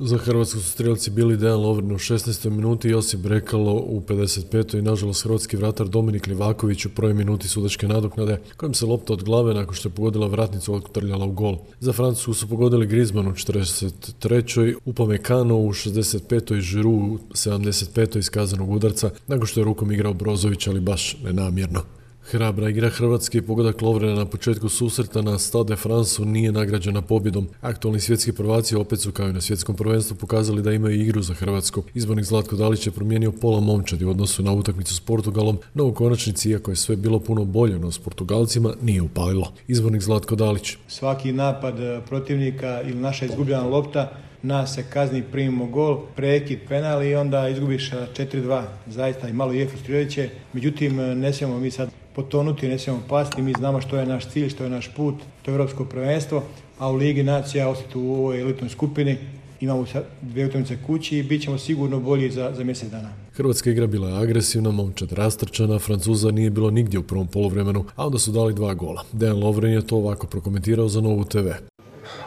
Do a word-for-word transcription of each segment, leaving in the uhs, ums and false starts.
Za Hrvatsku su strijelci bili Dejan Lovren u šesnaestoj minuti, Josip Brekalo u pedeset petoj i nažalost hrvatski vratar Dominik Livaković u prvoj minuti sudačke nadoknade, kojim se lopta od glave nakon što je pogodila vratnicu odtrljala u gol. Za Francusku su pogodili Griezmann u četrdeset trećoj, Upamecano u šezdeset petoj i Giroud u sedamdeset petoj iz kaznenog udarca, nakon što je rukom igrao Brozović, ali baš nenamjerno. Hrabra igra Hrvatske i pogodak Lovrena na početku susreta na Stade de France nije nagrađena pobjedom. Aktualni svjetski prvaci opet su kao i na svjetskom prvenstvu pokazali da imaju igru za Hrvatsku. Izbornik Zlatko Dalić je promijenio pola momčadi u odnosu na utakmicu s Portugalom, no u konačnici, iako je sve bilo puno bolje no s Portugalcima, nije upalilo. Izbornik Zlatko Dalić. Svaki napad protivnika ili naša izgubljena lopta, nas se kazni, primimo gol, prekid, penal i onda izgubiš četiri dva. Zaista i malo je frustrirajuće. Međutim, ne smijemo mi sad potonuti, ne smijemo pasti. Mi znamo što je naš cilj, što je naš put, to je europsko prvenstvo, a u Ligi nacija ostati u ovoj elitnoj skupini. Imamo dvije utakmice kući i bit ćemo sigurno bolji za, za mjesec dana. Hrvatska igra bila je agresivna, momčad rastrčana, Francuza nije bilo nigdje u prvom poluvremenu, a onda su dali dva gola. Dejan Lovren je to ovako prokomentirao za Novu te ve.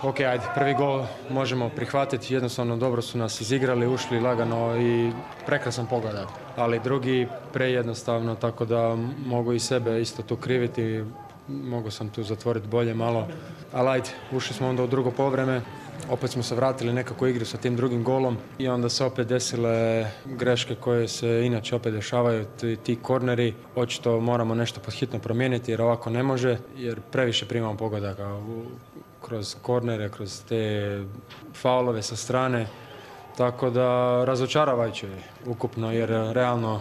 Ok, ajde, prvi gol možemo prihvatiti, jednostavno dobro su nas izigrali, ušli lagano i prekrasan pogodak. Ali drugi prejednostavno, tako da mogu i sebe isto tu kriviti, mogu sam tu zatvoriti bolje malo. Ali ajde, ušli smo onda u drugo povreme, opet smo se vratili nekako igru sa tim drugim golom i onda se opet desile greške koje se inače opet dešavaju, ti, ti korneri. Očito moramo nešto podhitno promijeniti jer ovako ne može, jer previše primamo pogodaka u kroz kornere, kroz te faulove sa strane, tako da razočaravajuće je ukupno jer realno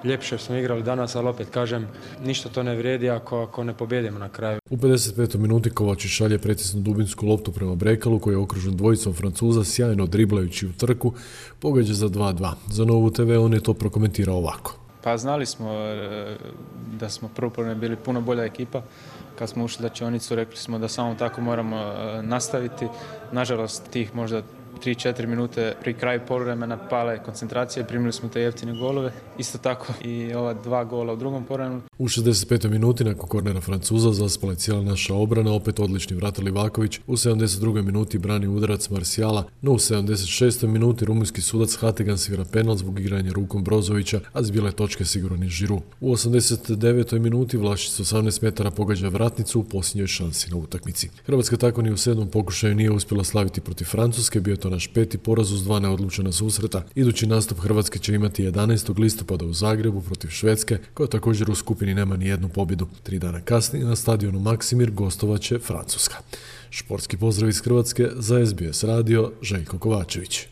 ljepše smo igrali danas, ali opet kažem, ništa to ne vrijedi ako, ako ne pobjedimo na kraju. U pedeset petoj minuti Kovačić šalje pretisnu dubinsku loptu prema Brekalu koji je okružen dvojicom Francuza, sjajno driblajući u trku, pogađa za dva dva. Za Novu te ve on je to prokomentirao ovako. Pa znali smo da smo prvo bili puno bolja ekipa. Kad smo ušli slačionicu, rekli smo da samo tako moramo nastaviti. Nažalost, tih možda tri četiri minute pri kraju poluvremena pale koncentracije, primili smo te jeftine golove. Isto tako i ova dva gola u drugom poluvremenu. U šezdeset petoj minuti nakon kornera Francuza zaspala je cijela naša obrana, opet odlični vratar Livaković. U sedamdeset drugoj minuti brani udarac Marcijala, no u sedamdeset šestoj minuti rumunjski sudac Hategan svira penal zbog igranja rukom Brozovića, a s bijele točke siguran je Giroud. U osamdeset devetoj minuti Vlašić s osamnaest metara pogađa vratnicu u posljednjoj šansi na utakmici. Hrvatska tako ni u sedmom pokušaju nije uspjela slaviti protiv Francuske, bio je to naš peti poraz uz dva neodlučena susreta. Idući nastup Hrvatske će imati jedanaestog listopada u Zagrebu protiv Švedske, koja također u skupini nema ni jednu pobjedu. Tri dana kasnije na stadionu Maksimir gostovaće Francuska. Športski pozdrav iz Hrvatske za es be es radio, Željko Kovačević.